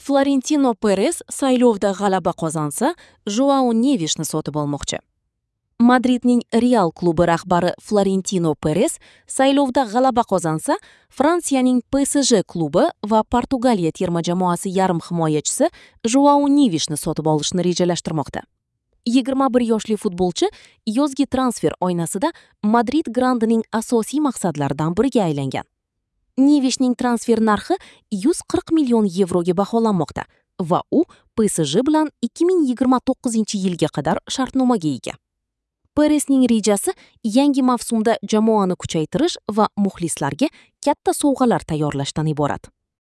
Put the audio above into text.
Florentino Peres saylovda g'alaba qozonsa, Joao Nevishni sotib olmoqchi. Madridning Real klubi rahbari Florentino Peres saylovda g'alaba qozonsa, Fransiyaning PSG klubi va Portugaliya terma jamoasi yarim himoyachisi Joao Nevishni sotib olishni rejalashtirmoqda. 21 yoshli futbolchi yozgi transfer oynasida Madrid grandining asosiy maqsadlaridan biriga aylangan. Nevishning transfer narxi 140 million yevroga baholanmoqda va u PSG bilan 2029-yilga qadar shartnomaga ega. Peresning rejasi yangi mavsumda jamoani kuchaytirish va muxlislarga katta sovg'alar tayyorlashdan iborat.